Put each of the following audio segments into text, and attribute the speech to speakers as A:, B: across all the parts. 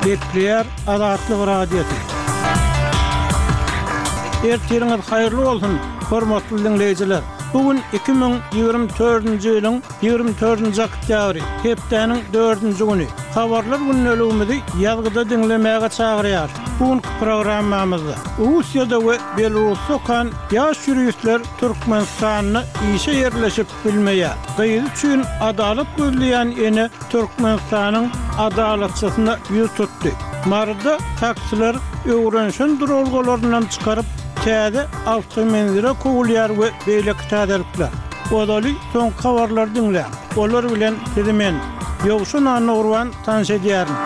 A: Gepleýär Azatlyk Radiosy. Ertiriňiz haýyrly bolsun, hormatly diňleýjiler! Bu gün 2024-nji ýylyň 24-nji oktýabry, hepdäniň dördünji güni. Habarlar gündeligimizi ýazgyda diňlemäge çagyrýarys. Bu günki programmamyzda Russiýada we Belarusda okan ýaş ýuristler Türkmenistanda işe ýerleşip bilmeýär. Gyzy üçin adalat gözleýän ene Türkmenistanyň Adalatçysyna ýüz tutdy. Maryda taksiler öwrenişen duralgalaryndan çykaryp, täze awtomenzile kowulýar we beýleki täzelikler. Ozaly soňky habarlary diňläň. Olar bilen sizi men, Ýowşan Annagurban tanyş edýärin.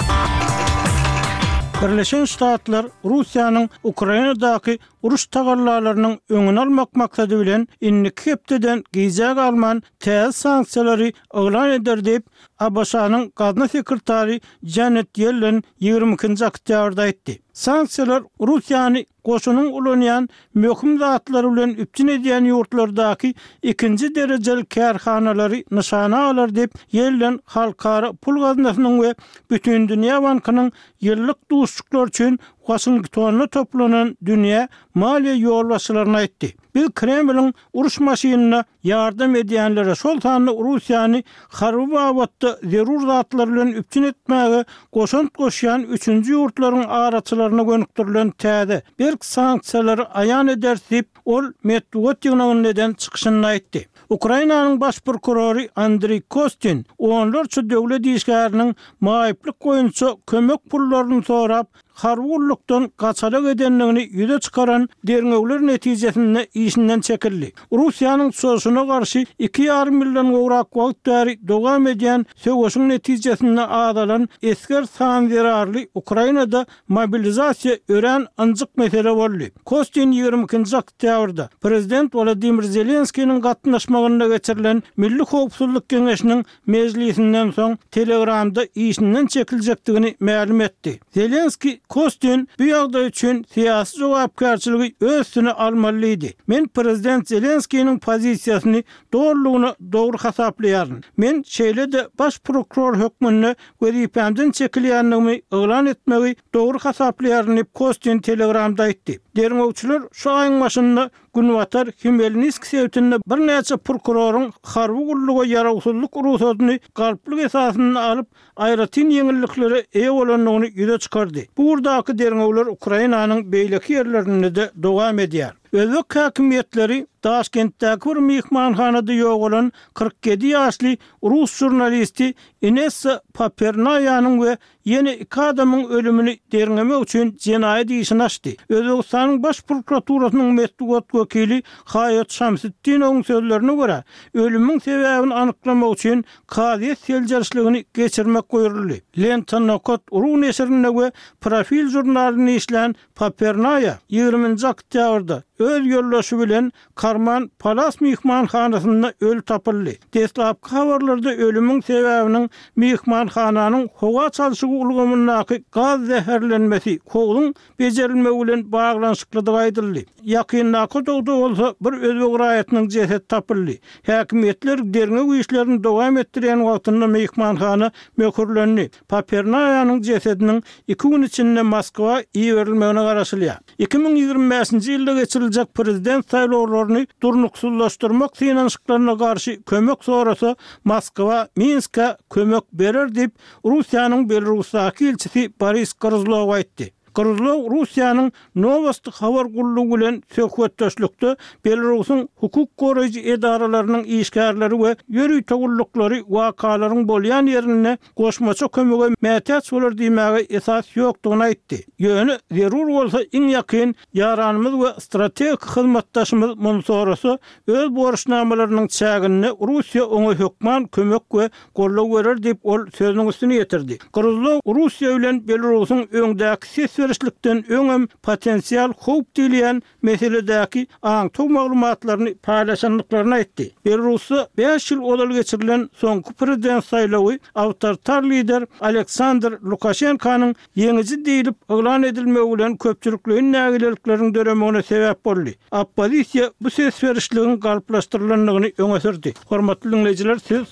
A: Birleşen Ştatlar Russiýanyň Ukrainadaky uruş tagallalarynyň öňüni almak maksady bilen indiki hepdeden gijä galman täze sanksiýalary yglan eder diýip, ABŞ-nyň gazna sekretary Janet Ýellen 22-nji oktýabrda aýtdy. Sanksiýalar Russiýany goşunyň ulanýan möhüm zatlary bilen üpjün edýän ýurtlardaky ikinji derejeli kärhanalary nyşana alar diýip, Ýellen Halkara pul gaznasynyň we Bütindünýä bankynyň ýyllyk duşuşyklary üçin Waşingtonda toplanan dünýä maliýe ýolbaşçylaryna aýtdy. Biz Kremliň uruş maşynyna ýardam edýänlere, şol sanda Russiýany harby babatda zerur zatlar bilen üpjün etmäge goşant goşýan üçünji ýurtlaryň araçylaryna gönükdirilen täze, berk sanksiýalary aýan ederis diýip, ol metbugat ýygnagynda eden çykyşynda aýtdy. Ukrainanyň baş prokurory Andriý Kostin onlarça döwlet işgäriniň maýyplyk boýunça kömek pullaryny sorap, harby gullukdan gaçalak edendigini ýüze çykaran derňewler netijesinde işinden çekildi. Russiýanyň çozuşyna garşy iki ýarym ýyldan gowrak wagt bäri dowam edýän söweşiň netijesinde azalan esger sany zerarly Ukrainada mobilizasiýa örän ynjyk mesele boldy. Kostin 22-nji oktýabrda prezident Wolodymyr Zelenskiniň gatnaşmagynda geçirilen Milli howpsuzlyk geňeşiniň mejlisinden soň Telegramda işinden çekiljekdigini mälim etdi. Zelenskiý Kostin bu ýagdaý üçin syýasy jogapkärçiligi öz üstüne almaly diýdi. Men prezident Zelenskiniň pozisiýasyny dolulygyna dogry hasaplaýaryn. Men şeýle-de baş prokuror hökmünde wezipämden çekilýändigimi yglan etmegi dogry hasaplaýaryn diýip, Kostin Telegramda aýtdy. Derňewçiler şu aýyň başynda Günbatar Hmelnisk sebitinde birnäçe prokuroryň harby gulluga ýarawsyzlyk rugsadyny galplyk esasynda alyp, aýratyn ýeňilliklere eýe bolandygyny ýüze çykardy. Bu ugurdaky derňewler Ukrainanyň beýleki ýerlerinde-de dowam edýär. Özbek häkimiýetleri Daşkentdäki bir myhmanhanada ýogalan 47 ýaşly rus žurnalisti Inessa Papernaýanyň we ýene iki adamyň ölümini derňemek üçin jenaýat işini açdy. Özbegistanyň Baş prokuraturasynyň metbugat wekili Haýot Şamsutdinowyň sözlerine görä, ölümiň sebäbini anyklamak üçin kazyýet seljerişligini geçirmek buýruldy. Lenta Nokat ru neşirinde we Profil žurnalynda işlän Papernaýa ýigriminji oktýabrda öz ýoldaşy bilen Karman Palas myhmanhanasynda öli tapyldy. Deslapky habarlarda ölümiň sebäbiniň myhmanhananyň howa çalşygy ulgamyndaky gaz zäherlenmesi, howzuň bejerilmegi bilen baglanyşyklydygy aýdyldy. Ýakyndaky otagda bolsa bir özbek raýatynyň jesedi tapyldy. Häkimiýetler derňew işlerini dowam etdirýän wagtynda myhmanhana möhürlendi. Papernaýanyň jesediniň iki gün içinde Moskwa iberilmegine garaşylýar. 2025-nji ýylda geçiriljek prezident saýlawlaryny durnuksyzlaşdyrmak synanyşyklaryna garşy kömek sorasa, Moskwa Minskä kömek berer diýip, Russiýanyň Belarusdaky ilçisi Boris Gryzlow aýtdy. Gryzlow Russiýanyň Nowosti habar gullugy bilen söhbetdeşlikde Belarusyň hukuk goraýjy edaralarynyň işgärleri we ýörite gulluklary wakalaryň bolýan ýerinde goşmaça kömege mätäç bolar diýmäge esas ýokdugyny aýtdy. Ýöne zerur bolsa iň ýakyn ýaranymyz we strategik hyzmatdaşymyz muny sorasa, öz borçnamalarynyň çäginde Russiýa oňa hökman kömek we goldaw berer diýip, ol sözüniň üstüni ýetirdi. Gryzlow Russiýa bilen Belarusyň öňdäki ses berişlikden öňem potensial howp diýilýän meseledäki aňtaw maglumatlaryny paýlaşandyklaryny aýtdy. Belarusda bäş ýyl ozal geçirilen soňky prezident saýlawy awtoritar lider Aleksandr Lukaşenkanyň ýeňiji diýlip yglan edilmegi bilen köpçülikleýin nägilelikleriň döremegine sebäp boldy. Oppozisiýa bu ses berişligiň galplaşdyrylandygyny öňe sürdi. Hormatly diňleýjiler, siz.